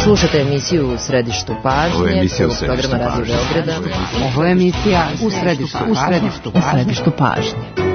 Slušate emisiju U središtu pažnje, prvog programa Radio Beograda. Ovo je emisija U središtu pažnje.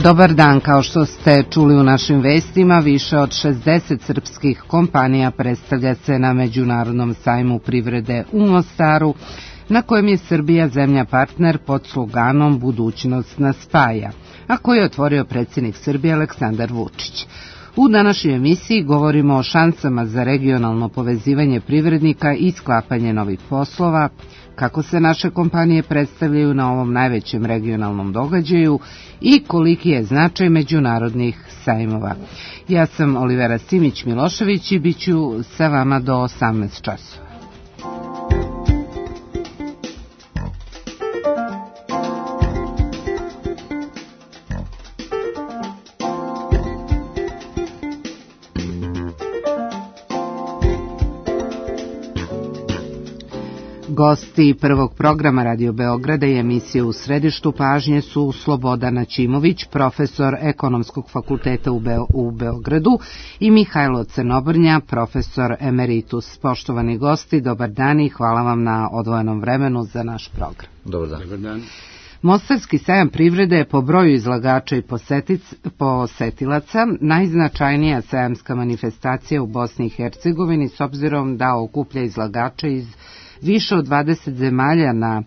Dobar dan, kao što ste čuli u našim vestima, više od 60 srpskih kompanija predstavlja se na Međunarodnom sajmu privrede u Mostaru, na kojem je Srbija zemlja partner pod sloganom Budućnost nas spaja, a koji je otvorio predsjednik Srbije Aleksandar Vučić. U današnjoj emisiji govorimo o šansama za regionalno povezivanje privrednika i sklapanje novih poslova, kako se naše kompanije predstavljaju na ovom najvećem regionalnom događaju i koliki je značaj međunarodnih sajmova. Ja sam Olivera Simić-Milošević i bit ću sa vama do 18 časova. Gosti prvog programa Radio Beograda i emisije U središtu pažnje su Slobodan Ćimović, profesor Ekonomskog fakulteta u Beogradu, i Mihajlo Crnobrnja, profesor emeritus. Poštovani gosti, dobar dan i hvala vam na odvojenom vremenu za naš program. Dobar dan. Dobar dan. Mostarski sajam privrede je po broju izlagača i posetilaca najznačajnija sajamska manifestacija u Bosni i Hercegovini, s obzirom da okuplja izlagače iz više od 20 zemalja na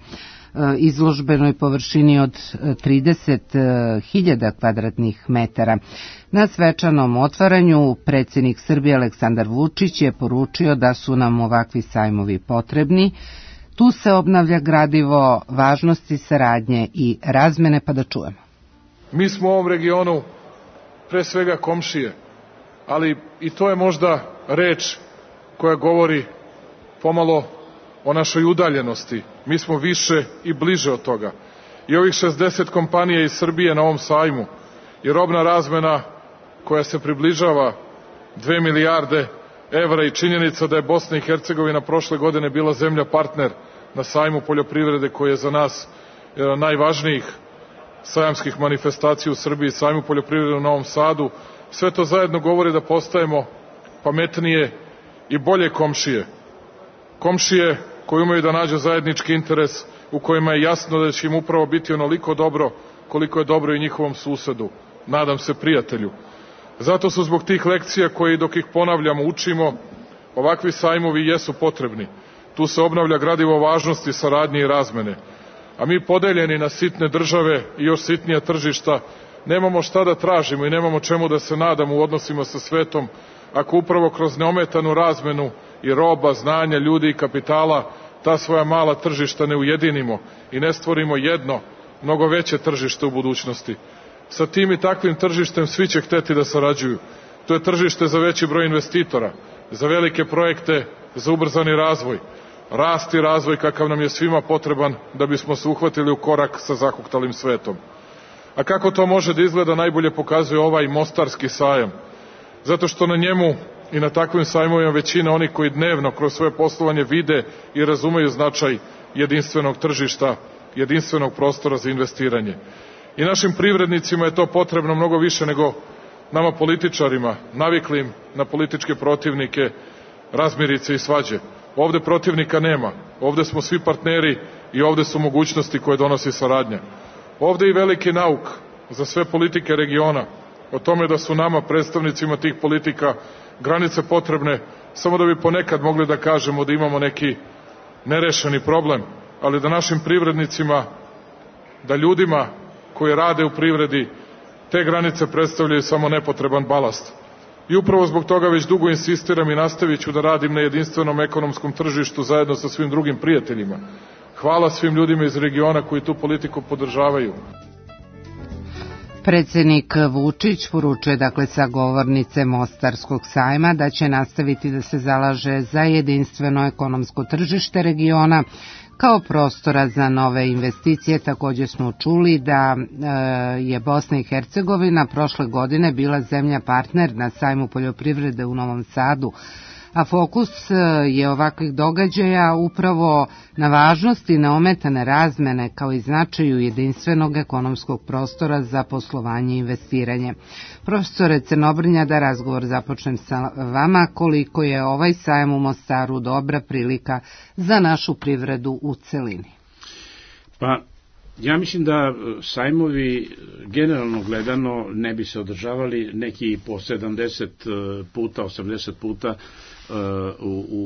izložbenoj površini od 30.000 kvadratnih metara. Na svečanom otvaranju predsjednik Srbije Aleksandar Vučić je poručio da su nam ovakvi sajmovi potrebni. Tu se obnavlja gradivo važnosti saradnje i razmene, pa da čujemo. Mi smo u ovom regionu pre svega komšije, ali i to je možda reč koja govori pomalo o našoj udaljenosti. Mi smo više i bliže od toga. I ovih 60 kompanija iz Srbije na ovom sajmu i robna razmena koja se približava 2 milijarde evra i činjenica da je Bosna i Hercegovina prošle godine bila zemlja partner na sajmu poljoprivrede koji je za nas najvažnijih sajamskih manifestacija u Srbiji, sajmu poljoprivrede u Novom Sadu. Sve to zajedno govori da postajemo pametnije i bolje komšije. Komšije koji umeju da nađu zajednički interes u kojima je jasno da će im upravo biti onoliko dobro koliko je dobro i njihovom susedu, nadam se prijatelju. Zato su zbog tih lekcija koje dok ih ponavljamo, učimo, ovakvi sajmovi jesu potrebni. Tu se obnavlja gradivo važnosti, saradnje i razmene. A mi podeljeni na sitne države i još sitnija tržišta nemamo šta da tražimo i nemamo čemu da se nadamo u odnosima sa svetom ako upravo kroz neometanu razmenu i roba, znanja, ljudi i kapitala ta svoja mala tržišta ne ujedinimo i ne stvorimo jedno, mnogo veće tržište u budućnosti. Sa tim i takvim tržištem svi će hteti da sarađuju. To je tržište za veći broj investitora, za velike projekte, za ubrzani razvoj, rast i razvoj kakav nam je svima potreban da bismo se uhvatili u korak sa zahuktalim svetom. A kako to može da izgleda najbolje pokazuje ovaj Mostarski sajam. Zato što na njemu i na takvim sajmovima većina onih koji dnevno kroz svoje poslovanje vide i razumeju značaj jedinstvenog tržišta, jedinstvenog prostora za investiranje. I našim privrednicima je to potrebno mnogo više nego nama političarima, naviklim na političke protivnike, razmirice i svađe. Ovde protivnika nema, ovde smo svi partneri i ovde su mogućnosti koje donosi saradnja. Ovde i veliki nauk za sve politike regiona o tome da su nama, predstavnicima tih politika, granice potrebne samo da bi ponekad mogli da kažemo da imamo neki nerešeni problem, ali da našim privrednicima, da ljudima koji rade u privredi, te granice predstavljaju samo nepotreban balast. I upravo zbog toga već dugo insistiram i nastavit ću da radim na jedinstvenom ekonomskom tržištu zajedno sa svim drugim prijateljima. Hvala svim ljudima iz regiona koji tu politiku podržavaju. Predsjednik Vučić poručuje sa govornice Mostarskog sajma da će nastaviti da se zalaže za jedinstveno ekonomsko tržište regiona kao prostora za nove investicije. Također smo čuli da je Bosna i Hercegovina prošle godine bila zemlja partner na sajmu poljoprivrede u Novom Sadu, a fokus je ovakvih događaja upravo na važnosti neometane razmene kao i značaju jedinstvenog ekonomskog prostora za poslovanje i investiranje. Profesore Crnobrnja, da razgovor započnem sa vama, koliko je ovaj sajam u Mostaru dobra prilika za našu privredu u celini? Pa, ja mislim da sajmovi generalno gledano ne bi se održavali neki po 70 puta, 80 puta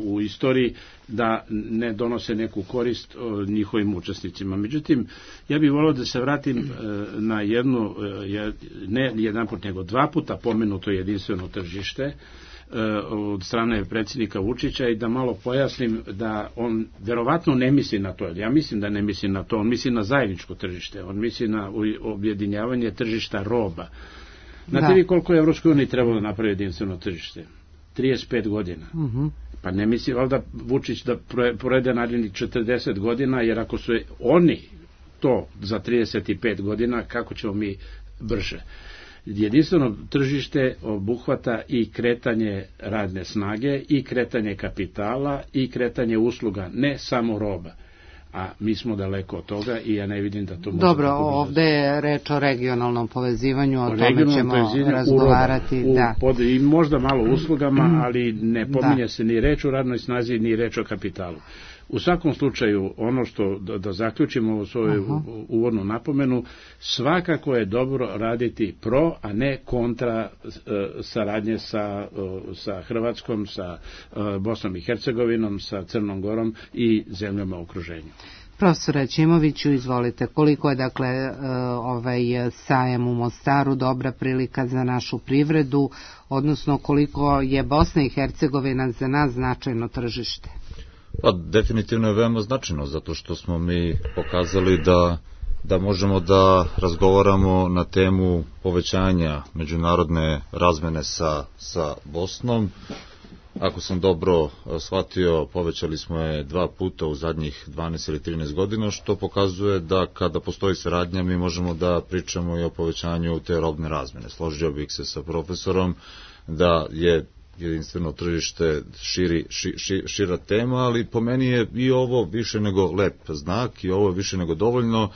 u istoriji, da ne donose neku korist njihovim učesnicima. Međutim, ja bih volio da se vratim na jednu, ne jedan put, nego dva puta pomenuto jedinstveno tržište od strane predsjednika Vučića i da malo pojasnim da on verovatno ne misli na to, ja mislim da ne misli na to, on misli na zajedničko tržište, on misli na objedinjavanje tržišta roba. Znate vi koliko je Evropskoj uniji trebalo napraviti jedinstveno tržište? 35 godina. Pa ne misli valjda Vučić da porede narednih 40 godina, jer ako su oni to za 35 godina, kako ćemo mi brže? Jedinstveno tržište obuhvata i kretanje radne snage, i kretanje kapitala, i kretanje usluga, ne samo roba. A mi smo daleko od toga i ja ne vidim da to može... Dobro, ovde je reč o regionalnom povezivanju, o tome ćemo razgovarati. I možda malo uslugama, ali ne pominje se ni reč o radnoj snazi, ni reč o kapitalu. U svakom slučaju, ono što da zaključimo u svoju uvodnu napomenu, svakako je dobro raditi pro, a ne kontra saradnje sa Hrvatskom, sa Bosnom i Hercegovinom, sa Crnom Gorom i zemljama u okruženju. Profesore Ćimoviću, izvolite, koliko je ovaj sajam u Mostaru dobra prilika za našu privredu, odnosno koliko je Bosna i Hercegovina za nas značajno tržište? Pa definitivno je veoma značajno, zato što smo mi pokazali da možemo da razgovaramo na temu povećanja međunarodne razmene sa Bosnom. Ako sam dobro shvatio, povećali smo je 2 puta u zadnjih 12 ili 13 godina, što pokazuje da kada postoji saradnja mi možemo da pričamo i o povećanju te robne razmene. Složio bih se sa profesorom da je jedinstveno tržište šira tema, ali po meni je i ovo više nego lep znak i ovo je više nego dovoljno.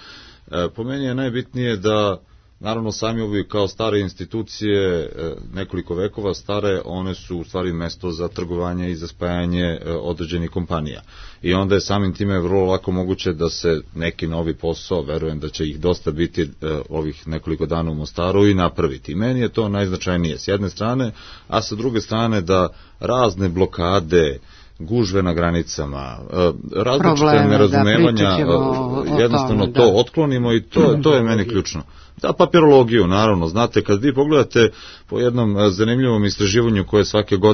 Po meni je najbitnije da, naravno, sajmovi kao stare institucije, nekoliko vekova stare, one su u stvari mesto za trgovanje i za spajanje određenih kompanija. I onda je samim time vrlo lako moguće da se neki novi posao, verujem da će ih dosta biti ovih nekoliko dana u Mostaru, i napraviti. I meni je to najznačajnije s jedne strane, a sa druge strane da razne blokade, gužve na granicama, različite nerazumevanja, jednostavno to otklonimo i to je meni ključno. Da, papirologiju, naravno, znate, kad vi pogledate po jednom zanimljivom istraživanju koje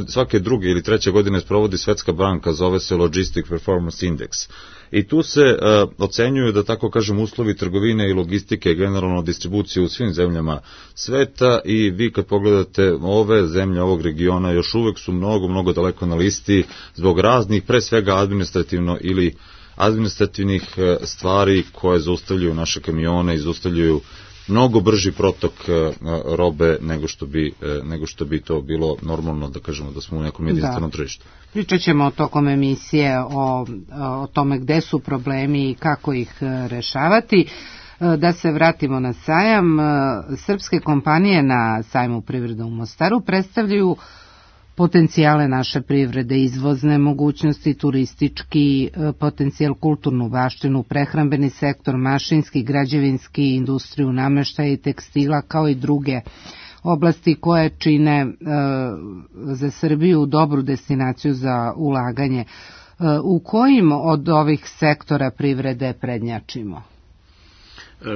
svake druge ili treće godine sprovodi Svetska banka, zove se Logistic Performance Index. I tu se ocenjuju, da tako kažem, uslovi trgovine i logistike, generalno distribucije u svim zemljama sveta, i vi kad pogledate ove zemlje ovog regiona još uvek su mnogo daleko na listi zbog raznih, pre svega administrativnih stvari koje zaustavljaju naše kamione i zaustavljaju mnogo brži protok robe nego što bi to bilo normalno, da kažemo da smo u nekom jedinstvenom tržištu. Pričat ćemo tokom emisije o tome gde su problemi i kako ih rešavati. Da se vratimo na sajam. Srpske kompanije na sajmu privrede u Mostaru predstavljaju potencijale naše privrede, izvozne mogućnosti, turistički potencijal, kulturnu baštinu, prehrambeni sektor, mašinski, građevinski, industriju nameštaja i tekstila, kao i druge oblasti koje čine za Srbiju dobru destinaciju za ulaganje. U kojim od ovih sektora privrede prednjačimo?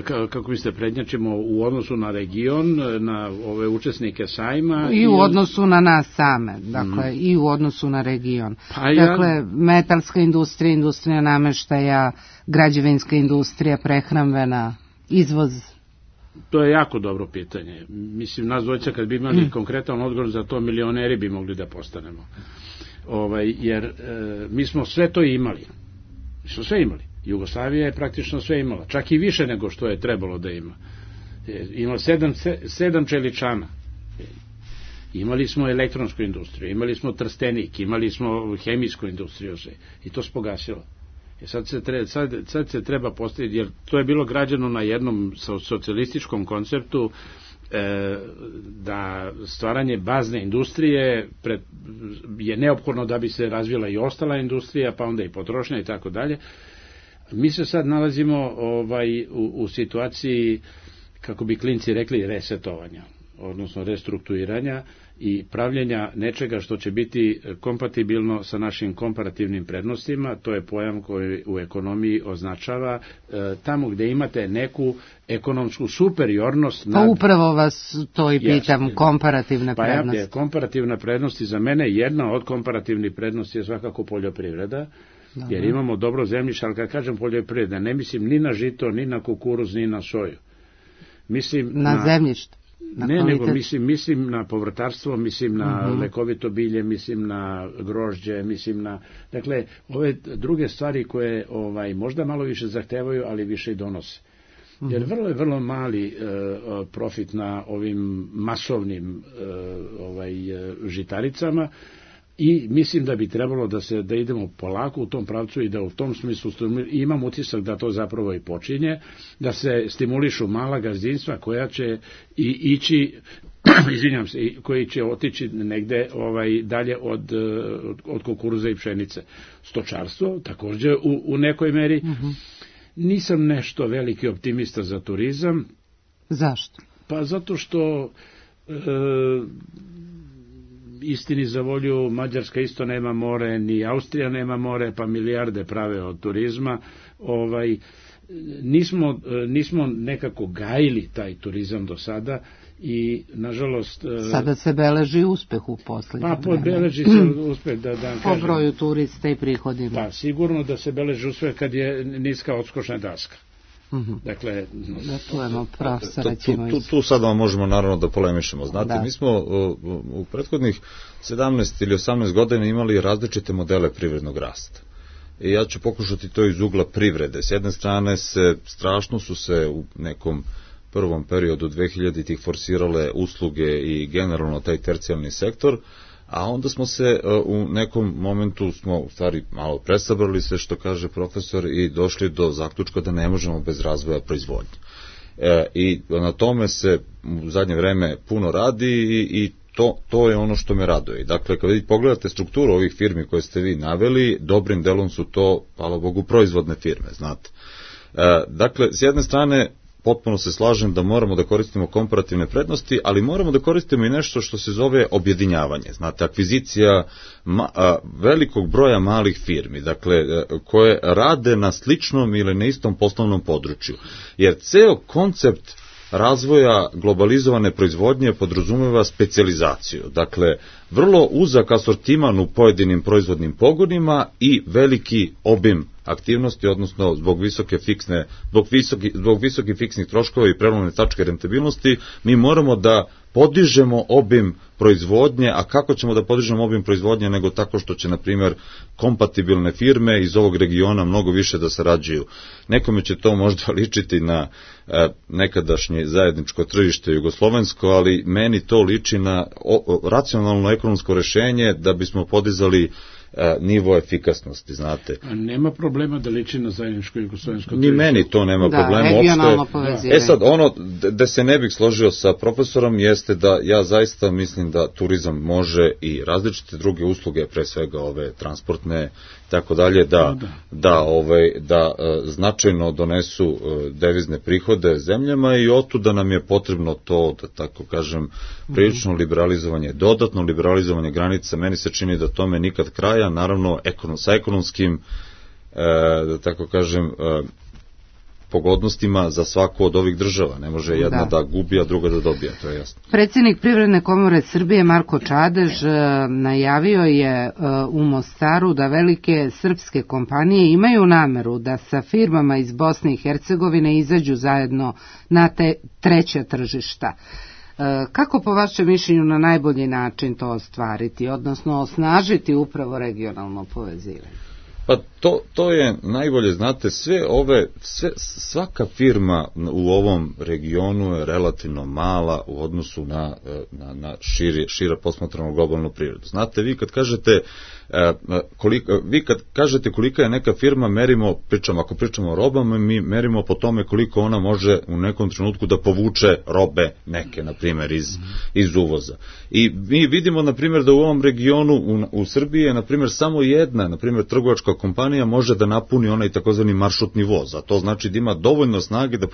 kako biste prednjačimo u odnosu na region, na ove učesnike sajma. I u odnosu na nas same, dakle, i u odnosu na region. Dakle, metalska industrija, industrija nameštaja, građevinska industrija, prehrambena, izvoz. To je jako dobro pitanje. Mislim, nas dvojica kad bi imali konkretan odgovor za to, milioneri bi mogli da postanemo. Jer mi smo sve to imali. Mi smo sve imali. Jugoslavija je praktično sve imala, čak i više nego što je trebalo da ima. Imala 7 čeličana. Imali smo elektronsku industriju, imali smo Trstenik, imali smo hemijsku industriju i to se pogasilo. Sad se treba postaviti, jer to je bilo građeno na jednom socijalističkom konceptu, da stvaranje bazne industrije je neophodno da bi se razvila i ostala industrija, pa onda i potrošnja i tako dalje. Mi se sad nalazimo u situaciji, kako bi klinci rekli, resetovanja, odnosno restrukturiranja i pravljenja nečega što će biti kompatibilno sa našim komparativnim prednostima. To je pojam koji u ekonomiji označava tamo gde imate neku ekonomsku superiornost. Pa upravo vas to i pitam, komparativne prednosti. Komparativna prednosti za mene, jedna od komparativnih prednosti je svakako poljoprivreda, jer imamo dobro zemljište, ali kad kažem poljoprivreda, ne mislim ni na žito, ni na kukuruz, ni na soju. Mislim na zemljište. Ne, nego mislim na povrtarstvo, mislim na lekovito bilje, mislim na grožđe, mislim na... Dakle, ove druge stvari koje možda malo više zahtevaju, ali više i donose. Jer vrlo mali profit na ovim masovnim žitaricama, i mislim da bi trebalo da idemo polako u tom pravcu i da u tom smislu imam utisak da to zapravo i počinje, da se stimulišu mala gazdinstva koja će ići, izvinjam se, koji će otići negde dalje od kukuruza i pšenice. Stočarstvo također u nekoj meri. Nisam nešto veliki optimista za turizam. Zašto? Pa zato što istini za volju, Mađarska isto nema more, ni Austrija nema more, pa milijarde prave od turizma. Nismo nekako gajili taj turizam do sada i, nažalost... Sada se beleži uspeh u poslednjem vremenu. Pa, beleži se uspeh, da kažem. Po broju turista i prihodima. Pa, sigurno da se beleži uspeh kad je niska odskočna daska. Dakle, tu sada možemo naravno da polemišemo. Znate, mi smo u prethodnih 17 ili 18 godina imali različite modele privrednog rasta. I ja ću pokušati to iz ugla privrede. S jedne strane strašno su se u nekom prvom periodu 2000-ih forsirale usluge i generalno taj tercijalni sektor, a onda smo se u nekom momentu u stvari malo presabrali sve što kaže profesor i došli do zaključka da ne možemo bez razvoja proizvodnje. I na tome se u zadnje vreme puno radi i to je ono što me raduje. Dakle, kad pogledate strukturu ovih firmi koje ste vi naveli, dobrim delom su to, hvala Bogu, proizvodne firme, znate. Dakle, s jedne strane, potpuno se slažem da moramo da koristimo komparativne prednosti, ali moramo da koristimo i nešto što se zove objedinjavanje. Znate, akvizicija velikog broja malih firmi, dakle, koje rade na sličnom ili na istom poslovnom području. Jer ceo koncept razvoja globalizovane proizvodnje podrazumeva specijalizaciju. Dakle, vrlo uzak asortiman u pojedinim proizvodnim pogonima i veliki obim aktivnosti, odnosno zbog visokih fiksnih troškova i prelomne tačke rentabilnosti, mi moramo da podižemo obim proizvodnje, a kako ćemo da podižemo obim proizvodnje nego tako što će, na primjer, kompatibilne firme iz ovog regiona mnogo više da sarađuju. Nekome će to možda ličiti na nekadašnje zajedničko tržište jugoslovensko, ali meni to liči na racionalno ekonomsko rešenje da bismo podizali nivo efikasnosti, znate. A nema problema da liči na zajedničko jugoslovensko tržište. Ni meni to nema problema uopšte. Sad, ono da se ne bih složio sa profesorom jeste da ja zaista mislim da turizam može i različite druge usluge, pre svega ove transportne, tako dalje, da značajno donesu devizne prihode zemljama i otuda nam je potrebno to, da tako kažem, prilično liberalizovanje, dodatno liberalizovanje granica. Meni se čini da tome nikad kraja, naravno sa ekonomskim, da tako kažem, pogodnostima za svaku od ovih država. Ne može jedna da gubi, a druga da dobija, to je jasno. Predsjednik Privredne komore Srbije Marko Čadež najavio je u Mostaru da velike srpske kompanije imaju nameru da sa firmama iz Bosne i Hercegovine izađu zajedno na treća tržišta. Kako po vašem mišljenju na najbolji način to ostvariti, odnosno osnažiti upravo regionalno povezivanje? Pa to je najbolje, znate, svaka firma u ovom regionu je relativno mala u odnosu na šira posmatranu globalnu privredu. Znate, vi kad kažete kolika je neka firma, ako pričamo o robama, mi merimo po tome koliko ona može u nekom trenutku da povuče robe neke, na primjer, iz uvoza. I mi vidimo, na primjer, da u ovom regionu, u Srbiji je, na primjer, samo jedna, na primjer, trgovačka kompanija može da napuni onaj takozvani maršrutni voz, a to znači da ima dovoljno snage da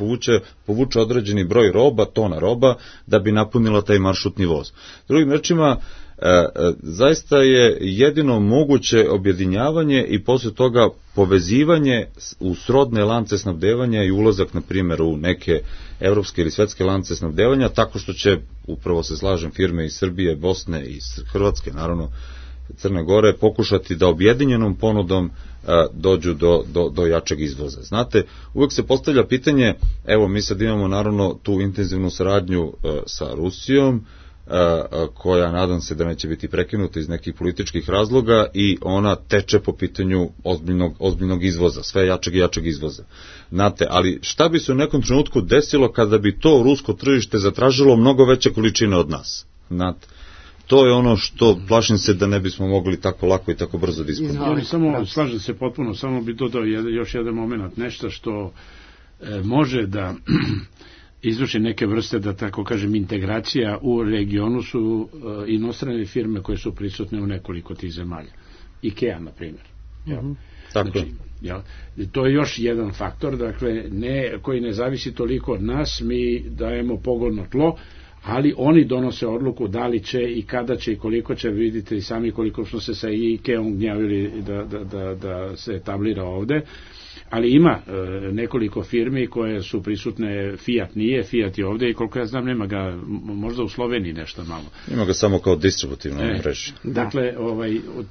povuče određeni broj roba, tona roba, da bi napunila taj maršrutni voz. Drugim rečima, zaista je jedino moguće objedinjavanje i posle toga povezivanje u srodne lance snabdevanja i ulazak, na primjer, u neke evropske ili svetske lance snabdevanja, tako što će, upravo se slažem, firme iz Srbije, Bosne i Hrvatske, naravno Crne Gore, pokušati da objedinjenom ponudom dođu do jačeg izvoza. Znate, uvek se postavlja pitanje, evo mi sad imamo naravno tu intenzivnu saradnju sa Rusijom, koja nadam se da neće biti prekinuta iz nekih političkih razloga i ona teče po pitanju ozbiljnog izvoza, sve jačeg i jačeg izvoza. Znate, ali šta bi se u nekom trenutku desilo kada bi to rusko tržište zatražilo mnogo veće količine od nas? Znate, to je ono što plašim se da ne bismo mogli tako lako i tako brzo da ispunimo. Samo slažem se potpuno, samo bi dodao još jedan moment, nešto što može da izvrši neke vrste, da tako kažem, integracija u regionu su inostrane firme koje su prisutne u nekoliko tih zemalja. IKEA, na primjer. Znači, to je još jedan faktor, dakle, koji ne zavisi toliko od nas, mi dajemo pogodno tlo, ali oni donose odluku da li će i kada će i koliko će, vidite i sami koliko smo se sa IKEA-om gnjavili da se etablira ovde, ali ima nekoliko firmi koje su prisutne. Fiat nije, Fiat je ovde i koliko ja znam nema ga, možda u Sloveniji nešto malo. Ima ga samo kao distributivno mreža. Dakle,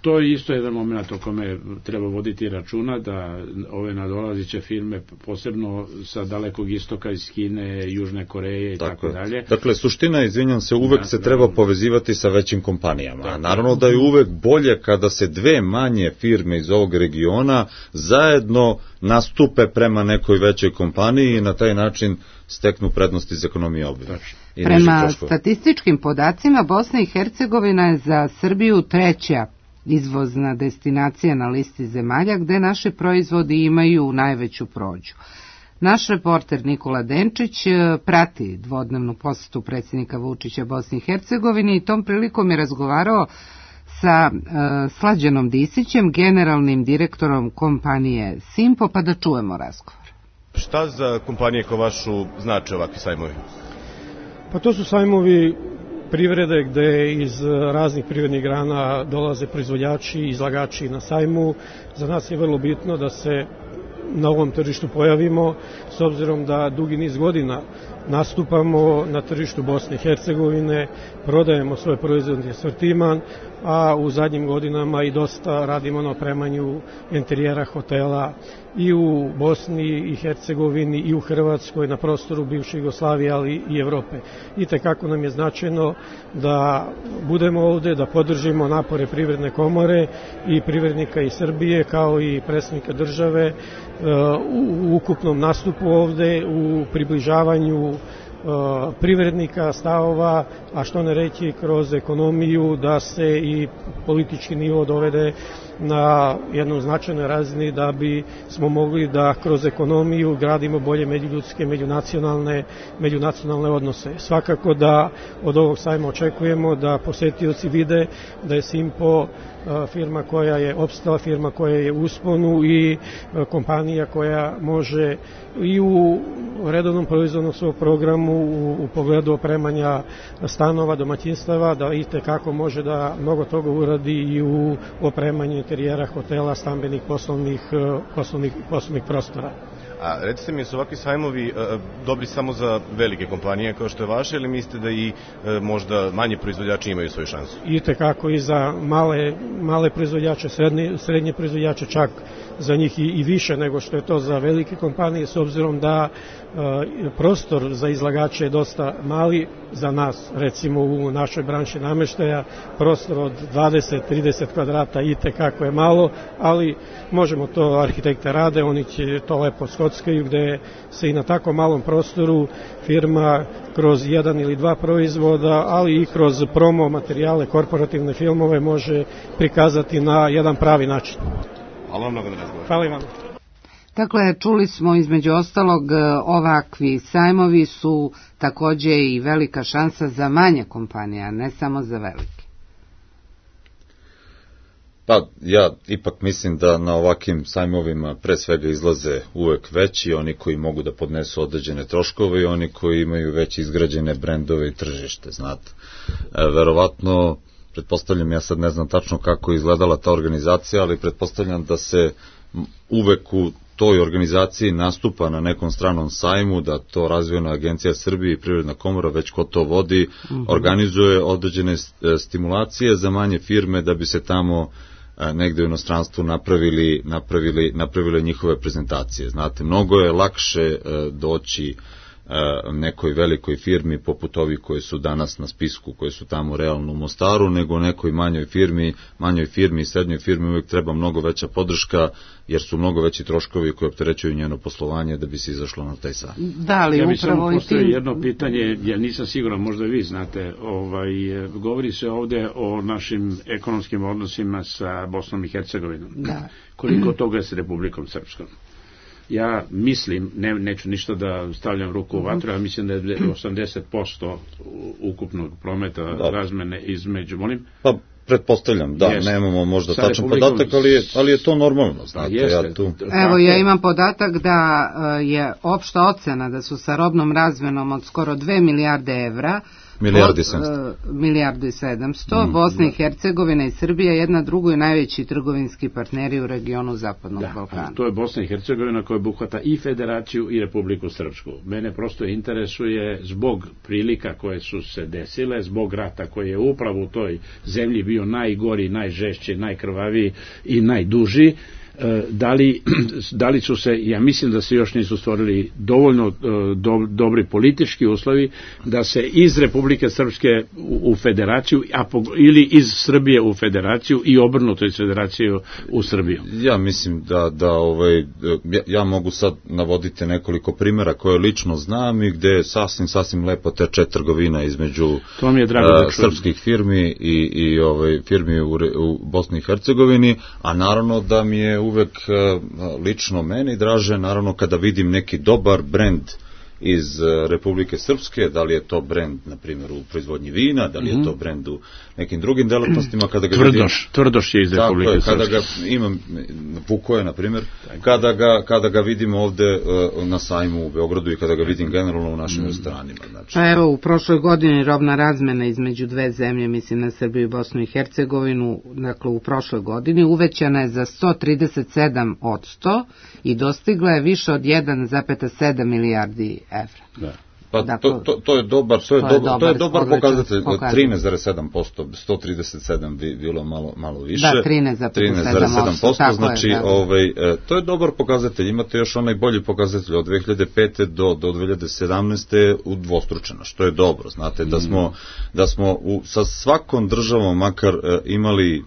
to je isto jedan moment o kome treba voditi računa, da ove nadolaziće firme, posebno sa dalekog istoka, iz Kine, Južne Koreje i tako dalje. Dakle, suština, izvinjam se, uvek se treba povezivati sa većim kompanijama. Naravno da je uvek bolje kada se dve manje firme iz ovog regiona zajedno nastupe prema nekoj većoj kompaniji i na taj način steknu prednosti iz ekonomije obilja. Prema statističkim podacima, Bosna i Hercegovina je za Srbiju treća izvozna destinacija na listi zemalja gde naši proizvodi imaju najveću prođu. Naš reporter Nikola Denčić prati dvodnevnu posetu predsjednika Vučića Bosni i Hercegovini i tom prilikom je razgovarao sa Slađanom Disićem, generalnim direktorom kompanije Simpo, pa da čujemo razgovor. Šta za kompanije kao vašu znače ovakvi sajmovi? Pa to su sajmovi privrede gde iz raznih privrednih grana dolaze proizvođači i izlagači na sajmu. Za nas je vrlo bitno da se na ovom tržištu pojavimo, s obzirom da dugi niz godina nastupamo na tržištu Bosne i Hercegovine, prodajemo svoje proizvodni asortiman, a u zadnjim godinama i dosta radimo na opremanju interijera hotela i u Bosni i Hercegovini i u Hrvatskoj, na prostoru bivše Jugoslavije, ali i Evrope. I tekako nam je značajno da budemo ovde, da podržimo napore Privredne komore i privrednika iz Srbije, kao i predsednika države u ukupnom nastupu ovde, u približavanju privrednika, stavova, a što ne reći kroz ekonomiju, da se i politički nivo dovede na jednu značajnoj razini da bi smo mogli da kroz ekonomiju gradimo bolje međuljudske, međunacionalne odnose. Svakako da od ovog sajma očekujemo da posetioci vide da je Simpo firma koja je opstala, firma koja je u usponu i kompanija koja može i u redovnom proizvodnom svog programu u pogledu opremanja stanova, domaćinstava, da i tekako može da mnogo toga uradi i u opremanju interijera hotela, stambenih poslovnih prostora. A recite mi, su ovakvi sajmovi dobri samo za velike kompanije kao što je vaše, ili mislite da i možda manji proizvođači imaju svoju šansu? I tekako i za male proizvođače, srednje proizvođače, čak za njih i više nego što je to za velike kompanije, s obzirom da prostor za izlagače je dosta mali za nas, recimo u našoj branši nameštaja, prostor od 20-30 kvadrata i tekako je malo, ali možemo to, arhitekte rade, oni će to lepo skockaju, gde se i na tako malom prostoru firma kroz jedan ili dva proizvoda, ali i kroz promo materijale, korporativne filmove može prikazati na jedan pravi način. Hvala vam mnogo na razgovor. Hvala i vam. Dakle, čuli smo između ostalog, ovakvi sajmovi su takođe i velika šansa za manje kompanije, a ne samo za velike. Pa ja ipak mislim da na ovakvim sajmovima pre svega izlaze uvek veći, oni koji mogu da podnesu određene troškove i oni koji imaju već izgrađene brendove i tržište, znate. Verovatno, pretpostavljam, ja sad ne znam tačno kako je izgledala ta organizacija, ali pretpostavljam da se uvek u toj organizaciji nastupa na nekom stranom sajmu, da to Razvojna agencija Srbije i Privredna komora, već ko to vodi, organizuje određene stimulacije za manje firme da bi se tamo negde u inostranstvu napravili njihove prezentacije. Znate, mnogo je lakše doći nekoj velikoj firmi poput ovih koji su danas na spisku, koji su tamo realno u Mostaru, nego nekoj manjoj firmi i srednjoj firmi uvijek treba mnogo veća podrška, jer su mnogo veći troškovi koji opterećuju njeno poslovanje da bi se izašlo na taj sajam. Da, li ja bih samo postavio jedno pitanje, ja nisam siguran, možda vi znate, govori se ovde o našim ekonomskim odnosima sa Bosnom i Hercegovinom. Da. Koliko toga je s Republikom Srpskom? Ja mislim, neću ništa da stavljam ruku u vatru, ja mislim da je 80% ukupnog prometa razmene između, molim? Pa, pretpostavljam, da, nemamo možda tačan podatak, ali je to normalno, znate. Evo, ja imam podatak da je opšta ocena da su sa robnom razmenom od skoro 2 milijarde evra, milijardu i 700, Bosna i Hercegovina i Srbija jedna drugu i najveći trgovinski partneri u regionu Zapadnog Balkana. To je Bosna i Hercegovina koja obuhvata i Federaciju i Republiku Srpsku. Mene prosto interesuje zbog prilika koje su se desile, zbog rata koji je upravo u toj zemlji bio najgori, najžešći, najkrvaviji i najduži. Da li su se, ja mislim da se još nisu stvorili dovoljno dobri politički uslovi da se iz Republike Srpske u federaciju ili iz Srbije u federaciju i obrnuto iz federaciju u Srbiju. Ja mislim ja mogu sad navoditi nekoliko primjera koje lično znam i gde sasvim lepo teče trgovina između srpskih firmi i firmi u Bosni i Hercegovini, a naravno da mi je uvek lično meni draže, naravno kada vidim neki dobar brend iz Republike Srpske, da li je to brend, na primjer, u proizvodnji vina, da li je to brend u nekim drugim delatnostima, kada ga Tvrdoš je iz Republike Srpske. Kada ga imam, Vukoje, na primjer, kada ga vidim ovde na sajmu u Beogradu i kada ga vidim generalno u našim restoranima. Znači. Pa evo, u prošloj godini robna razmena između dve zemlje, mislim na Srbiju i Bosnu i Hercegovinu, dakle u prošloj godini, uvećana je za 137% i dostigla je više od 1,7 milijardi evra. Da. Pa to je dobar pokazatelj, 13,7%, 137 bi bilo malo više. Da, 13,7%, znači to je dobar pokazatelj. Imate još onaj bolji pokazatelj od 2005. do 2017. udvostručeno, što je dobro. Znate da smo sa svakom državom makar imali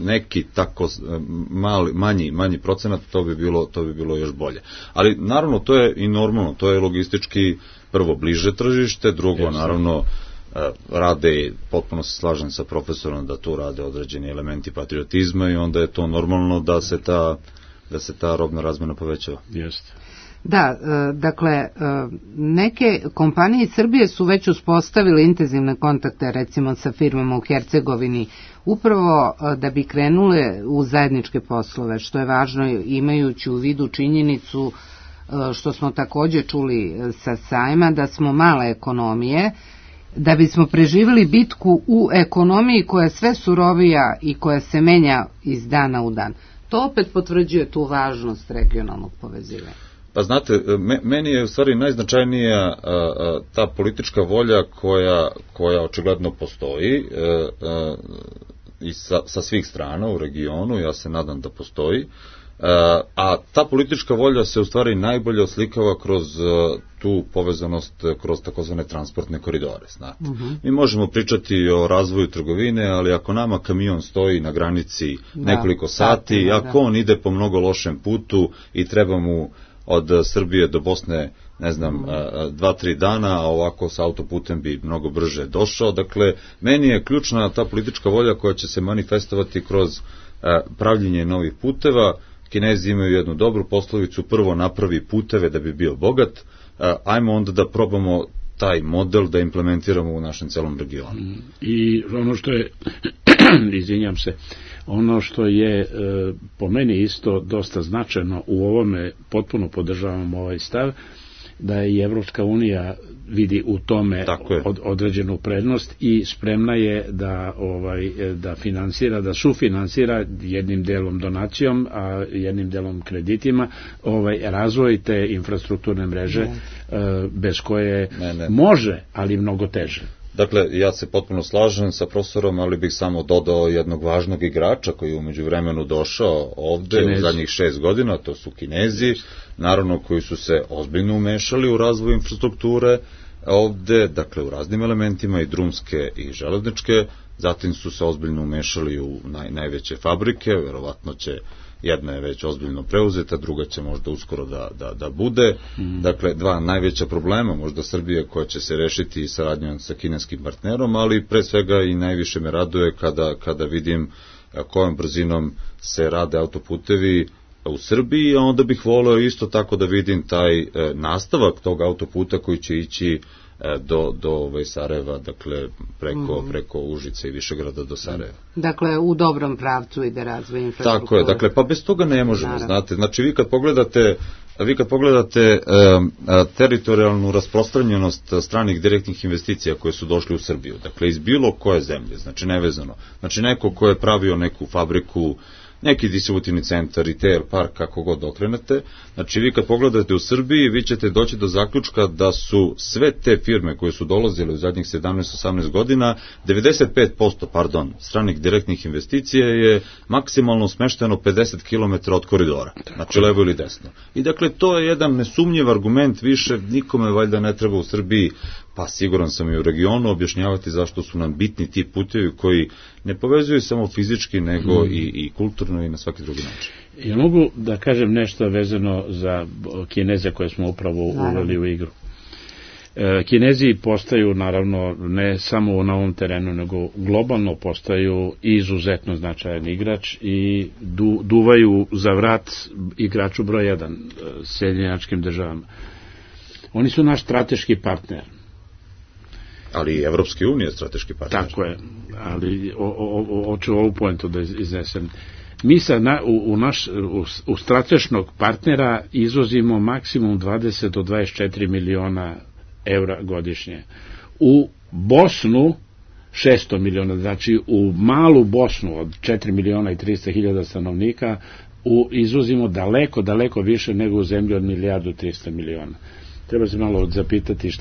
neki tako manji procenat, to bi bilo još bolje. Ali naravno to je i normalno, to je logistički prvo bliže tržište, drugo naravno rade, potpuno se slažem sa profesorom da tu rade određeni elementi patriotizma i onda je to normalno da se ta robna razmena povećava. Jeste. Da, dakle, neke kompanije iz Srbije su već uspostavile intenzivne kontakte, recimo sa firmama u Hercegovini, upravo da bi krenule u zajedničke poslove, što je važno imajući u vidu činjenicu, što smo takođe čuli sa sajma, da smo male ekonomije, da bismo preživjeli bitku u ekonomiji koja je sve surovija i koja se menja iz dana u dan. To opet potvrđuje tu važnost regionalnog povezivanja. Pa znate, meni je u stvari najznačajnija ta politička volja koja očigledno postoji i sa svih strana u regionu, ja se nadam da postoji, a ta politička volja se u stvari najbolje oslikava kroz tu povezanost kroz takozvane transportne koridore. Znate. Mi možemo pričati o razvoju trgovine, ali ako nama kamion stoji na granici nekoliko sati, ako on ide po mnogo lošem putu i treba mu od Srbije do Bosne, ne znam, 2-3 dana, a ovako sa autoputem bi mnogo brže došao. Dakle, meni je ključna ta politička volja koja će se manifestovati kroz pravljenje novih puteva. Kinezi imaju jednu dobru poslovicu, prvo napravi puteve da bi bio bogat, ajmo onda da probamo taj model da implementiramo u našem celom regionu. I ono što je, izvinjam se, ono što je po meni isto dosta značajno u ovome, potpuno podržavam ovaj stav, da i Evropska unija vidi u tome određenu prednost i spremna je da finansira, da sufinansira jednim delom donacijom, a jednim delom kreditima razvoj te infrastrukturne mreže bez koje može, ali mnogo teže. Dakle, ja se potpuno slažem sa profesorom, ali bih samo dodao jednog važnog igrača koji je umeđu vremenu došao ovde u zadnjih 6 godina, to su Kinezi, naravno koji su se ozbiljno umešali u razvoj infrastrukture ovde, dakle u raznim elementima i drumske i železničke, zatim su se ozbiljno umešali u najveće fabrike, verovatno će jedna je već ozbiljno preuzeta, druga će možda uskoro da bude. Dakle, dva najveća problema, možda Srbije koja će se rešiti i saradnjom sa kineskim partnerom, ali pre svega i najviše me raduje kada vidim kojom brzinom se rade autoputevi u Srbiji, a onda bih voleo isto tako da vidim taj nastavak tog autoputa koji će ići do Sarajeva, dakle preko Užica i Višegrada do Sarajeva. Dakle, u dobrom pravcu ide razvoj infrastrukture. Tako je, dakle, pa bez toga ne možemo, znate. Znači, vi kad pogledate teritorijalnu rasprostranjenost stranih direktnih investicija koje su došli u Srbiju, dakle, iz bilo koje zemlje, znači nevezano, znači neko ko je pravio neku fabriku, neki distributivni centar, retail, park, kako god okrenete. Znači, vi kad pogledate u Srbiji, vi ćete doći do zaključka da su sve te firme koje su dolazile u zadnjih 17-18 godina, 95% stranih direktnih investicija je maksimalno smešteno 50 km od koridora. Znači, levo ili desno. I dakle, to je jedan nesumnjiv argument, više nikome valjda ne treba u Srbiji, pa siguran sam i u regionu, objašnjavati zašto su nam bitni ti putevi koji ne povezuju samo fizički, nego i kulturno i na svaki drugi način. Ja mogu da kažem nešto vezano za Kineze koje smo upravo uveli u igru. Kinezi postaju, naravno, ne samo na ovom terenu, nego globalno postaju izuzetno značajan igrač i duvaju za vrat igraču broj 1, Sjedinjenim Državama. Oni su naš strateški partner. Ali i Evropske unije strateški partner. Tako je, ali hoću ovu pojentu da iznesem. Mi u strateškog partnera izvozimo maksimum 20 do 24 miliona evra godišnje. U Bosnu 600 miliona, znači u malu Bosnu od 4 miliona i 300 hiljada stanovnika izvozimo daleko više nego u zemlji od 1.300 miliona. Treba se malo zapitati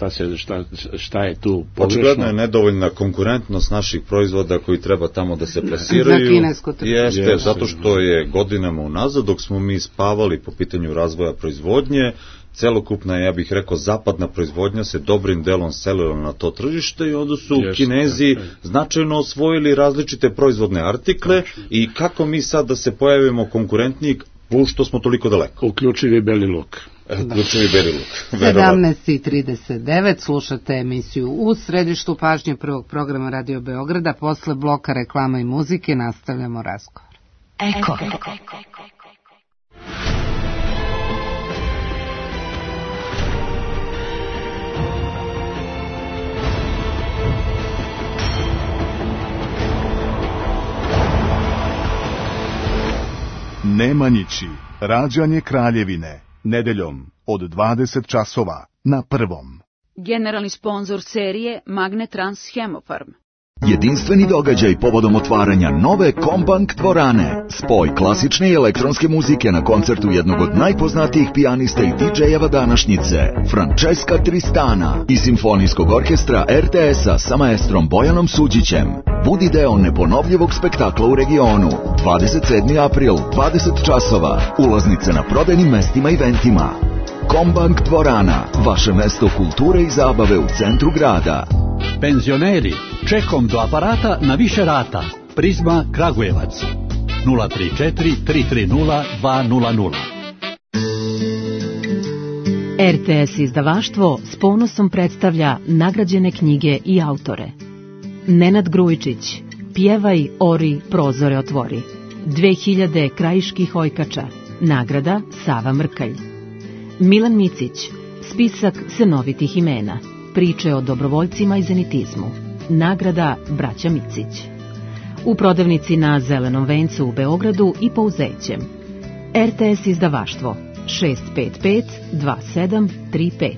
šta je tu pogrešno. Očigledno je nedovoljna konkurentnost naših proizvoda koji treba tamo da se plasiraju. Za kinesko tržište. Jeste, zato što je godinama unazad, dok smo mi spavali po pitanju razvoja proizvodnje, celokupna, ja bih rekao, zapadna proizvodnja se dobrim delom selila na to tržište i onda su Kinezi značajno osvojili različite proizvodne artikle i kako mi sad da se pojavimo konkurentniji, plus što smo toliko daleko. Uključivi beli luk. 17:39 slušate emisiju U središtu pažnje prvog programa Radio Beograda. Posle bloka reklama i muzike nastavljamo razgovor. Eko. Nemanjići, rađanje Kraljevine, nedeljom od 20 časova na Prvom. Generalni sponzor serije Magnetrans Hemofarm. Jedinstveni događaj povodom otvaranja nove Kombank dvorane. Spoj klasične i elektronske muzike na koncertu jednog od najpoznatijih pijanista i DJ-eva današnjice, Francesca Tristana, i simfonijskog orkestra RTS-a sa maestrom Bojanom Suđićem. Budi deo neponovljivog spektakla u regionu. 27. april, 20 časova. Ulaznice na prodajnim mestima i ventima. Kombank dvorana, vaše mesto kulture i zabave u centru grada. Penzioneri, čekom do aparata na više rata. Prizma Kragujevac 034 330 200. RTS izdavaštvo s ponosom predstavlja nagrađene knjige i autore. Nenad Grujičić, Pjevaj, ori, prozore otvori. 2000 krajiških ojkača, nagrada Sava Mrkalj. Milan Micić, spisak senovitih imena, priče o dobrovoljcima i zenitizmu, nagrada Braća Micić. U prodavnici na Zelenom vencu u Beogradu i Pouzećem. RTS izdavaštvo 655 2735.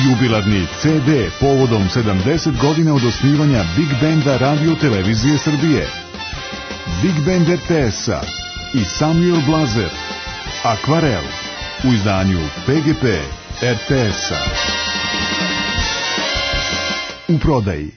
Jubilarni CD povodom 70 godina od osnivanja Big Benda Radio Televizije Srbije. Big Band RTS-a i Samuel Blazer, Akvarel, u izdanju PGP RTS-a. U prodaji.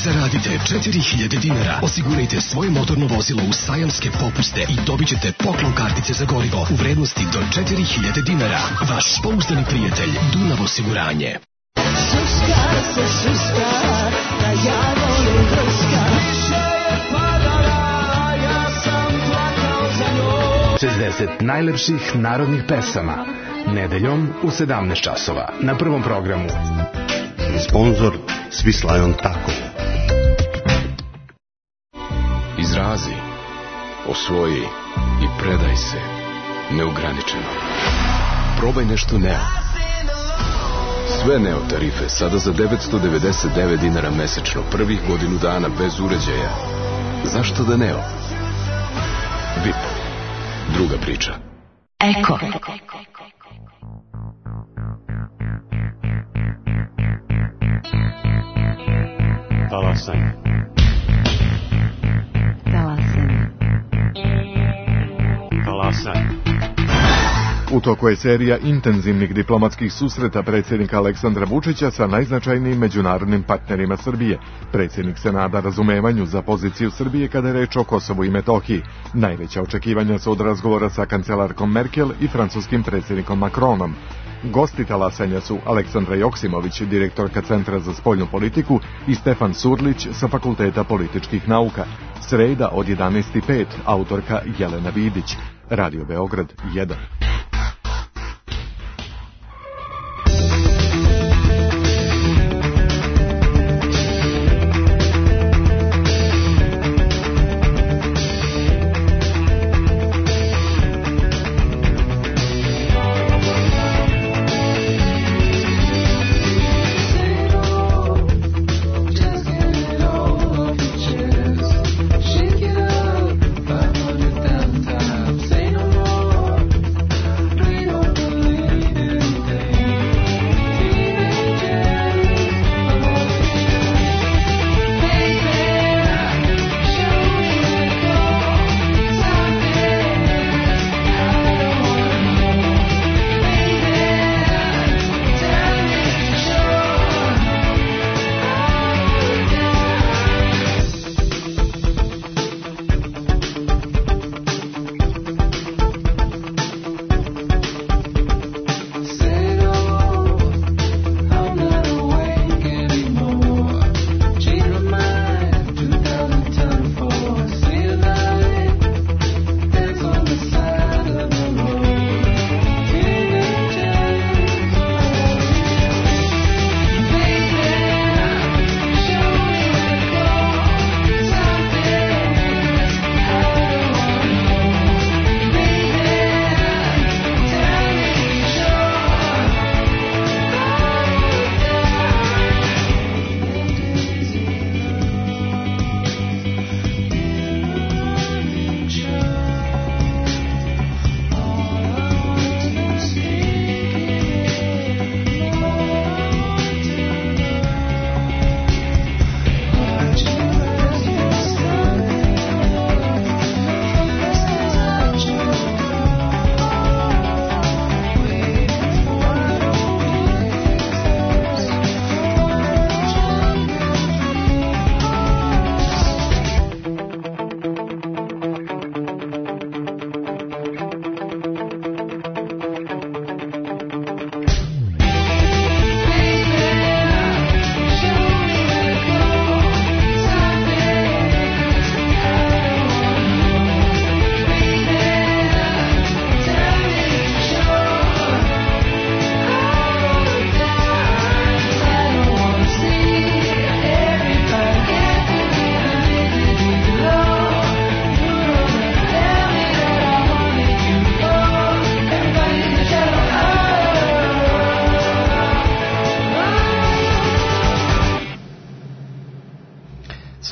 Zaradite 4000 dinara, osigurajte svoje motorno vozilo u sajamske popuste i dobit ćete poklon kartice za gorivo u vrednosti do 4000 dinara. Vaš pouzdani prijatelj Dunav osiguranje. Suska se suska, da ja volim grska. Više je padala, ja sam plakao za njom. 60 najlepših narodnih pesama. Nedeljom u 17 časova na Prvom programu. Sponzor Swiss Lion Taco. Izrazi, osvoji i predaj se neograničeno. Probaj nešto Neo. Sve Neo tarife sada za 999 dinara mesečno, prvih godinu dana bez uređaja. Zašto da Neo? VIP. Druga priča. Eko. Talasanje. U toku je serija intenzivnih diplomatskih susreta predsjednika Aleksandra Vučića sa najznačajnijim međunarodnim partnerima Srbije. Predsjednik se nada razumevanju za poziciju Srbije kada je reč o Kosovu i Metohiji. Najveća očekivanja su od razgovora sa kancelarkom Merkel i francuskim predsjednikom Macronom. Gosti talasanja su Aleksandra Joksimović, direktorka Centra za spoljnu politiku, i Stefan Surlić sa Fakulteta političkih nauka. Sreda od 11:05, autorka Jelena Vidić. Radio Beograd 1.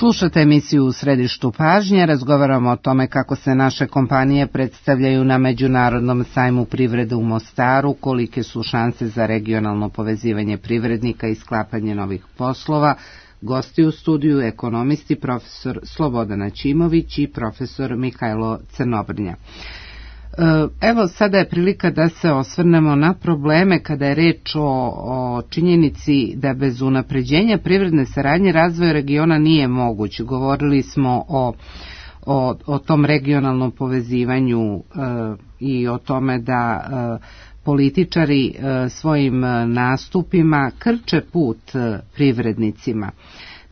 Slušate emisiju U središtu pažnje, razgovaramo o tome kako se naše kompanije predstavljaju na Međunarodnom sajmu privrede u Mostaru, kolike su šanse za regionalno povezivanje privrednika i sklapanje novih poslova. Gosti u studiju ekonomisti profesor Slobodan Ćimović i profesor Mihajlo Crnobrnja. Evo, sada je prilika da se osvrnemo na probleme kada je reč o činjenici da bez unapređenja privredne saradnje razvoj regiona nije moguć. Govorili smo o tom regionalnom povezivanju i o tome da političari svojim nastupima krče put privrednicima.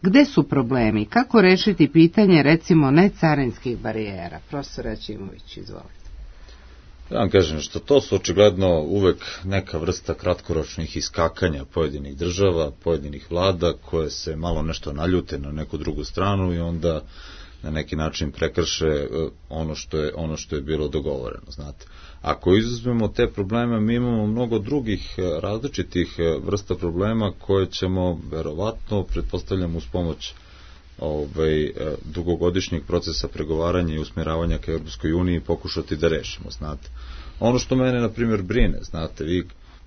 Gde su problemi? Kako rešiti pitanje, recimo, necarinskih barijera? Profesor Ćimović, izvolite. Ja vam kažem što to su očigledno uvek neka vrsta kratkoročnih iskakanja pojedinih država, pojedinih vlada koje se malo nešto naljute na neku drugu stranu i onda na neki način prekrše ono što je bilo dogovoreno, znate. Ako izuzmemo te probleme, mi imamo mnogo drugih različitih vrsta problema koje ćemo verovatno, pretpostavljam, uz pomoć dugogodišnjeg procesa pregovaranja i usmjeravanja ka Europskoj uniji pokušati da rešimo, znate. Ono što mene, na primjer, brine, znate,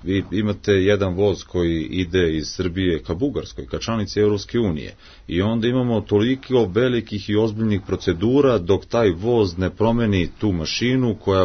vi imate jedan voz koji ide iz Srbije ka Bugarskoj, ka članici Europske unije, i onda imamo toliko velikih i ozbiljnih procedura dok taj voz ne promeni tu mašinu koja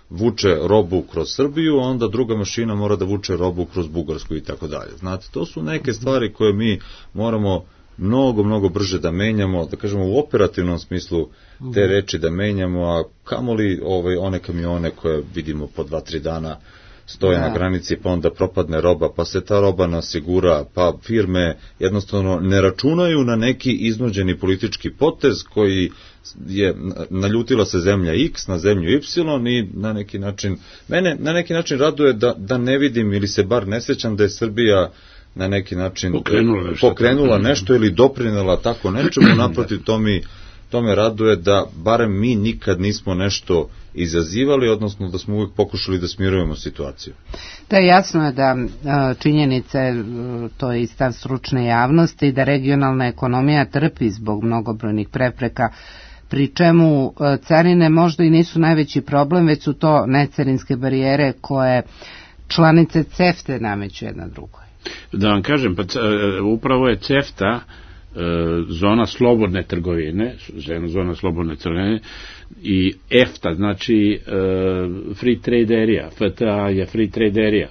vuče robu kroz Srbiju, onda druga mašina mora da vuče robu kroz Bugarsku i tako dalje. Znate, to su neke stvari koje mi moramo mnogo brže da menjamo, da kažemo u operativnom smislu te reči da menjamo, a kamoli one kamione koje vidimo po 2-3 dana stoje na granici, pa onda propadne roba, pa se ta roba nasigura, pa firme jednostavno ne računaju na neki iznuđeni politički potez koji je naljutila se zemlja X na zemlju Y i mene na neki način raduje da ne vidim ili se bar ne sjećam da je Srbija na neki način pokrenula nešto ili doprinela tako nečemu, naprotiv to me raduje da barem mi nikad nismo nešto izazivali, odnosno da smo uvijek pokušali da smirujemo situaciju. Da, jasno je da činjenice, to je i stav stručne javnosti, da regionalna ekonomija trpi zbog mnogobrojnih prepreka, pri čemu carine možda i nisu najveći problem, već su to necarinske barijere koje članice CEFTA nameću jedna drugoj. Da vam kažem, upravo je CEFTA zona slobodne trgovine, i EFTA, znači Free Trade Area, FTA je Free Trade Area.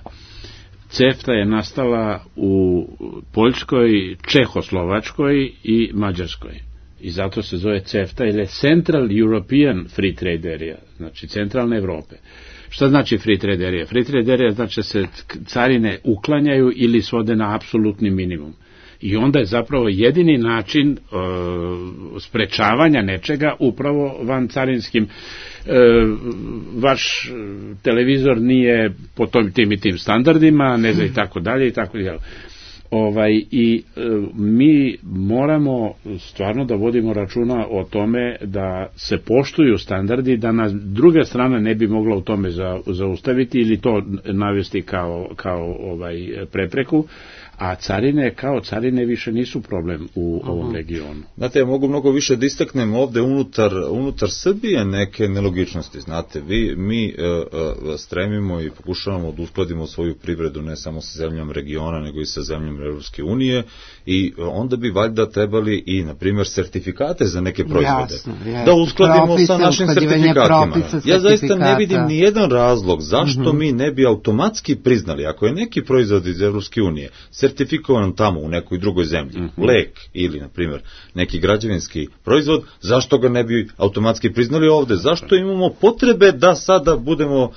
CEFTA je nastala u Poljskoj, Čehoslovačkoj i Mađarskoj. I zato se zove CEFTA ili Central European Free Trade Area, znači centralne Evrope. Šta znači Free Trade Area? Free Trade Area znači da se carine uklanjaju ili svode na apsolutni minimum. I onda je zapravo jedini način sprečavanja nečega upravo van carinskim. Vaš televizor nije po tim i tim standardima, ne znam, i tako dalje i tako dalje. I mi moramo stvarno da vodimo računa o tome da se poštuju standardi, da nas druga strana ne bi mogla u tome zaustaviti ili to navesti kao prepreku, a carine kao carine više nisu problem u ovom regionu. Znate, ja mogu mnogo više da istaknem ovde unutar Srbije neke nelogičnosti. Znate, mi stremimo i pokušavamo da uskladimo svoju privredu ne samo sa zemljom regiona, nego i sa zemljom Evropske unije, i onda bi valjda trebali i, na primjer, sertifikate za neke proizvode. Da uskladimo sa našim sertifikatima. Ja zaista ne vidim ni jedan razlog zašto mi ne bi automatski priznali, ako je neki proizvod iz Evropske unije sertifikovan tamo u nekoj drugoj zemlji, lek ili, na primjer, neki građevinski proizvod, zašto ga ne bi automatski priznali ovde? Zašto imamo potrebe da sada budemo,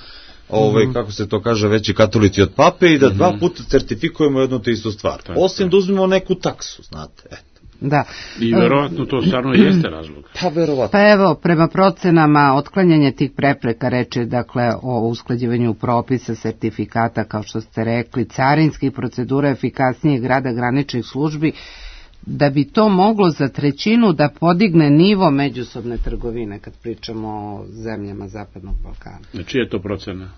kako se to kaže, veći katolici od pape i da 2 puta certifikujemo jednu te istu stvar? Osim da uzmemo neku taksu, znate, Da. I verovatno to stvarno jeste razlog. Pa evo, prema procenama, otklanjanje tih prepreka, reče dakle o usklađivanju propisa, sertifikata, kao što ste rekli, carinskih procedura, efikasnijeg rada graničnih službi, da bi to moglo za 1/3 da podigne nivo međusobne trgovine, kad pričamo o zemljama Zapadnog Balkana. Čija je to procena?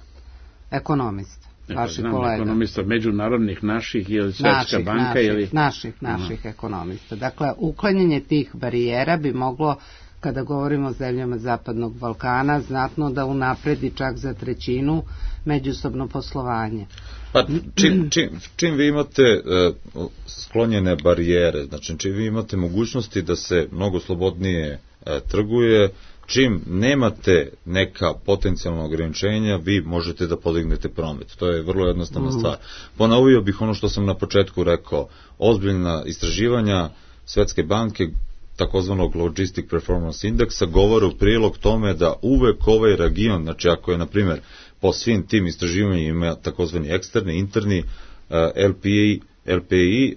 Ekonomista. vaših kolega. Ekonomista međunarodnih naših ili Svetska banka ili... Naših ekonomista. Dakle, uklanjanje tih barijera bi moglo, kada govorimo o zemljama Zapadnog Balkana, znatno da unapredi čak za 1/3 međusobno poslovanje. Pa čim vi imate sklonjene barijere, znači čim vi imate mogućnosti da se mnogo slobodnije trguje, čim nemate neka potencijalna ograničenja, vi možete da podignete promet. To je vrlo jednostavna stvar. Ponovio bih ono što sam na početku rekao, ozbiljna istraživanja Svetske banke, takozvanog Logistic Performance Indeksa, govore u prilog tome da uvek ovaj region, znači ako je, na primjer, po svim tim istraživanjima ima takozvani eksterni, interni LPI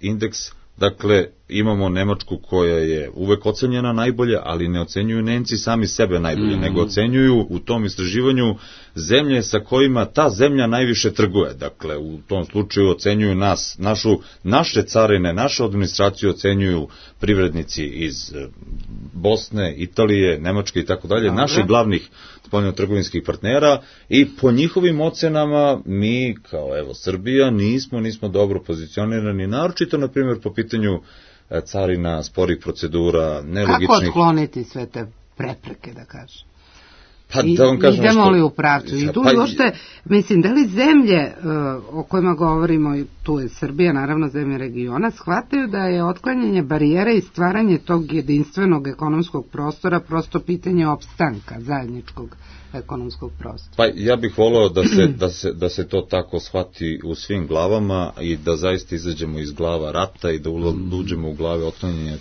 indeks, dakle imamo Nemačku koja je uvek ocenjena najbolje, ali ne ocenjuju Nemci sami sebe najbolje, nego ocenjuju u tom istraživanju zemlje sa kojima ta zemlja najviše trguje. Dakle, u tom slučaju ocenjuju naše carine, našu administraciju ocenjuju privrednici iz Bosne, Italije, Nemačke i tako dalje, naših glavnih spoljnotrgovinskih partnera, i po njihovim ocenama mi, kao evo Srbija, nismo dobro pozicionirani, naročito, na primjer, po pitanju carina, sporih procedura, nelogičnih... Kako otkloniti sve te prepreke, da kažem? Pa, da vam kažem idemo li u pravcu? I tu uopšte, mislim, da li zemlje o kojima govorimo, tu je Srbija, naravno zemlje regiona, shvataju da je otklanjanje barijera i stvaranje tog jedinstvenog ekonomskog prostora prosto pitanje opstanka zajedničkog ekonomskog prostora. Pa ja bih voleo da se to tako shvati u svim glavama i da zaista izađemo iz glava rata i da uđemo u glave otklanjanja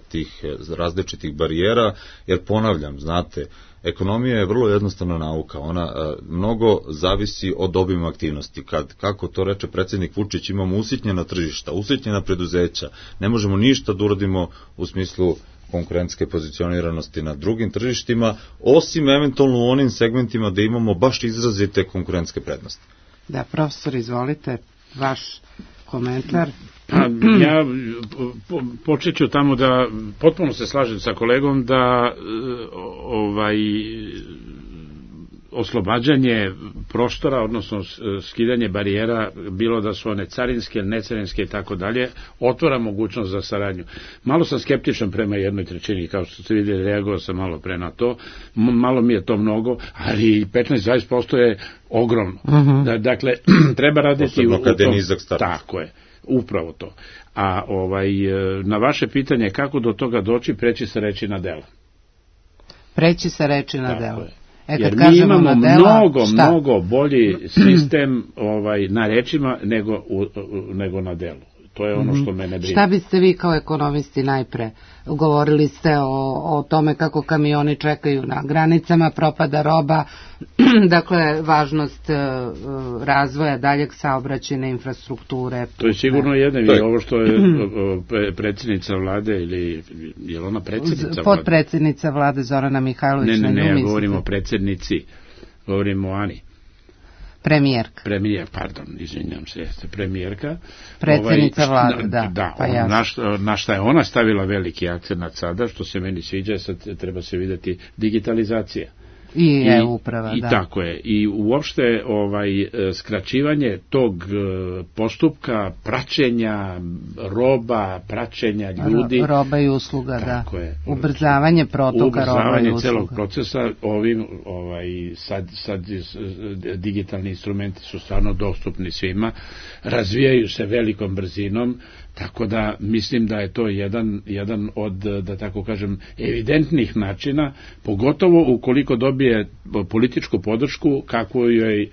tih različitih barijera, jer ponavljam, znate, ekonomija je vrlo jednostavna nauka, ona mnogo zavisi od obima aktivnosti. Kako to reče predsjednik Vučić, imamo usitnjena tržišta, usitnjena preduzeća, ne možemo ništa da uradimo u smislu konkurentske pozicioniranosti na drugim tržištima, osim eventualno u onim segmentima da imamo baš izrazite konkurentske prednosti. Da, profesor, izvolite, vaš komentar. Ja počet ću tamo da potpuno se slažem sa kolegom da oslobađanje prostora, odnosno skidanje barijera, bilo da su one carinske, necarinske i tako dalje, otvara mogućnost za saradnju. Malo sam skeptičan prema 1/3, kao što ste vidjeli, reagovao sam malo pre na to, malo mi je to mnogo, ali 15-20% je ogromno. Dakle, treba raditi u tom. Tako je. Upravo to. A na vaše pitanje kako do toga doći, preći sa reči na dela. Preći sa reči na dela. Jer mi imamo mnogo bolji sistem na rečima nego na delu. To je ono što mene brine. Šta biste vi kao ekonomisti najpre? Govorili ste o tome kako kamioni čekaju na granicama, propada roba, dakle važnost razvoja daljeg saobraćajne infrastrukture. To je sigurno jedno, i ovo što je predsjednica vlade, ili je ona predsjednica vlade? Potpredsjednica vlade Zorana Mihajlović. Ne, ja govorim o predsjednici, govorim o Ani. Premijerka. Izvinjam se, jeste premijerka. Predsjednica vlade, da. Na šta je ona stavila veliki akcent sada, što se meni sviđa, sad treba se vidjeti digitalizacija. I e-uprava, da. I tako je. I uopšte skraćivanje tog postupka praćenja roba, praćenja ljudi. Roba i usluga, tako da. Je. Ubrzavanje protoka roba i usluga. Ubrzavanje celog procesa, sad digitalni instrumenti su stvarno dostupni svima, razvijaju se velikom brzinom, tako da mislim da je to jedan od, da tako kažem, evidentnih načina, pogotovo ukoliko dobije političku podršku, kako joj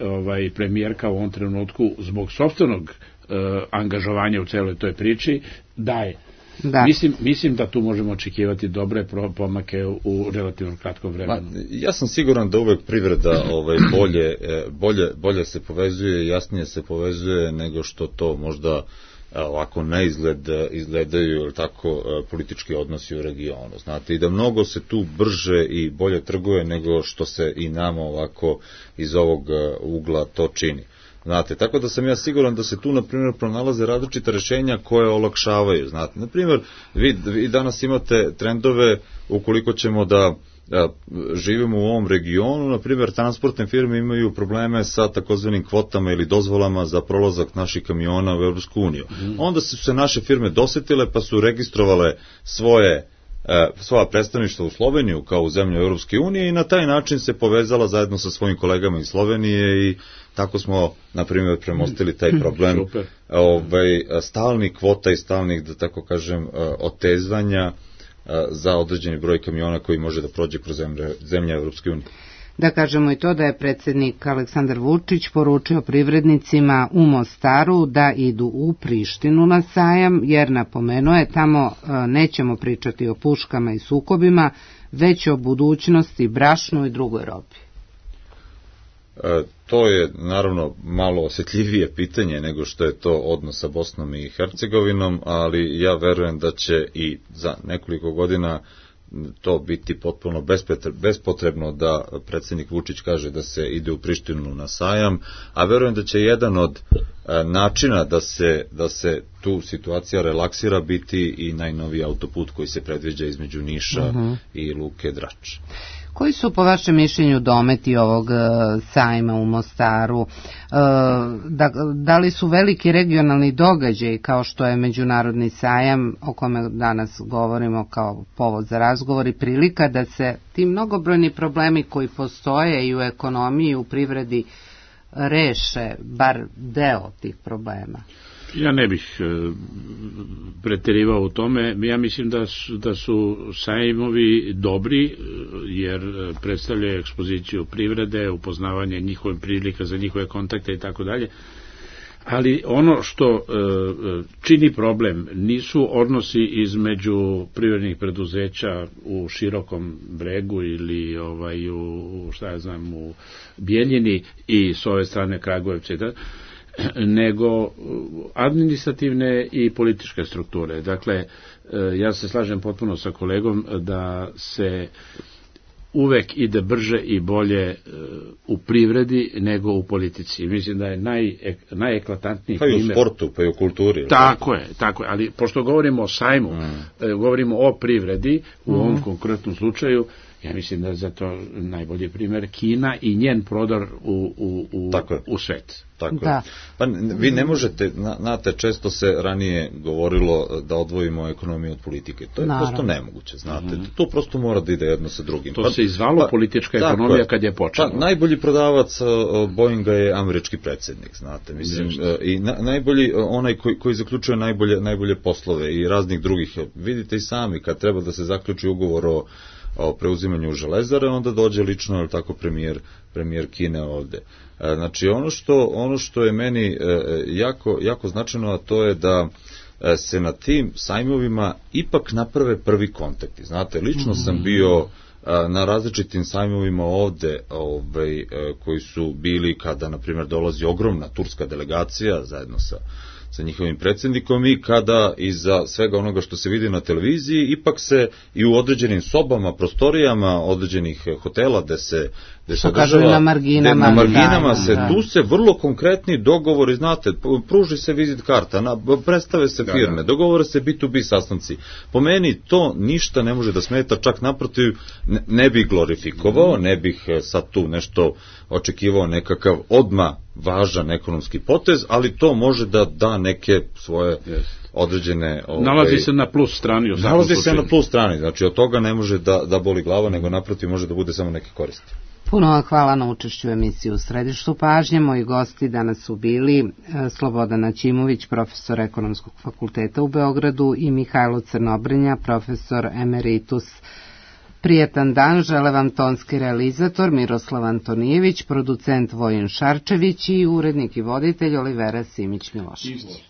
premijerka u ovom trenutku zbog sopstvenog angažovanja u celoj toj priči daje. Da. Mislim da tu možemo očekivati dobre pomake u relativno kratkom vremenu. Ja sam siguran da uvek privreda bolje se povezuje, jasnije se povezuje nego što to možda ovako na izgled izgledaju, ili tako, politički odnosi u regionu. Znate, i da mnogo se tu brže i bolje trguje nego što se i nama ovako iz ovog ugla to čini. Znate, tako da sam ja siguran da se tu, na primjer, pronalaze različita rešenja koje olakšavaju. Znate, na primjer, vi danas imate trendove, ukoliko ćemo da živimo u ovom regionu, na primjer transportne firme imaju probleme sa takozvanim kvotama ili dozvolama za prolazak naših kamiona u Evropsku uniju. Onda su se naše firme dosetile pa su registrovale svoja predstavništva u Sloveniju kao u zemlju Evropske unije i na taj način se povezala zajedno sa svojim kolegama iz Slovenije i tako smo, na primjer, premostili taj problem stalnih kvota i stalnih, da tako kažem, otezvanja za određeni broj kamiona koji može da prođe kroz zemlje Evropske unije. Da kažemo i to da je predsjednik Aleksandar Vučić poručio privrednicima u Mostaru da idu u Prištinu na sajam, jer napomenuo je tamo nećemo pričati o puškama i sukobima, već o budućnosti, brašnu i drugoj robi. To je naravno malo osjetljivije pitanje nego što je to odnos sa Bosnom i Hercegovinom, ali ja verujem da će i za nekoliko godina to biti potpuno bespotrebno da predsjednik Vučić kaže da se ide u Prištinu na sajam, a verujem da će jedan od načina da se tu situacija relaksira biti i najnoviji autoput koji se predviđa između Niša i Luke Drač. Koji su po vašem mišljenju dometi ovog sajma u Mostaru? Da li su veliki regionalni događaji kao što je međunarodni sajam o kome danas govorimo kao povod za razgovor i prilika da se ti mnogobrojni problemi koji postoje i u ekonomiji i u privredi reše bar deo tih problema? Ja ne bih preterivao u tome. Ja mislim da su sajmovi dobri jer predstavljaju ekspoziciju privrede, upoznavanje njihovih prilika za njihove kontakte i tako dalje. Ali ono što čini problem nisu odnosi između privrednih preduzeća u Širokom Bregu ili u Bijeljini i s ove strane Kragujevca, nego administrativne i političke strukture. Dakle, ja se slažem potpuno sa kolegom da se uvek ide brže i bolje u privredi nego u politici. Mislim da je najeklatantniji primjer. Pa i u sportu, pa i u kulturi. Tako je, ali pošto govorimo o sajmu, govorimo o privredi, u ovom konkretnom slučaju, ja mislim da je zato najbolji primjer Kina i njen prodor u svet. Tako je. Pa vi ne možete, znate, često se ranije govorilo da odvojimo ekonomiju od politike. To je prosto nemoguće, znate. To prosto mora da ide jedno sa drugim. To se izvalo politička ekonomija kad je počela. Pa najbolji prodavac Boeinga je američki predsjednik, znate. Mislim, i najbolji, onaj koji zaključuje najbolje poslove i raznih drugih. Vidite i sami, kad treba da se zaključi ugovor o preuzimanju Železare, onda dođe lično, ali tako, premijer Kine ovde. Znači, ono što je meni jako značajno, a to je da se na tim sajmovima ipak naprave prvi kontakti. Znate, lično sam bio na različitim sajmovima ovde, koji su bili kada, na primjer, dolazi ogromna turska delegacija zajedno sa njihovim predsjednikom i kada iza svega onoga što se vidi na televiziji ipak se i u određenim sobama, prostorijama određenih hotela gde se održava, na marginama tu se vrlo konkretni dogovori, znate, pruži se vizit karta, predstave se firme, dogovore se B2B sastanci. Po meni to ništa ne može da smeta, čak naprotiv ne bih glorifikovao, ne bih sad tu nešto očekivao nekakav odmah važan ekonomski potez, ali to može da da neke svoje određene... Nalazi se na plus strani. Nalazi se na plus strani, znači od toga ne može da boli glava, nego naprotiv može da bude samo neke koristi. Puno vam hvala na učešću u emisiji U središtu pažnje. Moji gosti danas su bili Slobodan Naćimović, profesor Ekonomskog fakulteta u Beogradu, i Mihajlo Crnobrenja, profesor emeritus. Prijetan dan žele vam tonski realizator Miroslav Antonijević, producent Vojin Šarčević i urednik i voditelj Olivera Simić-Milošević.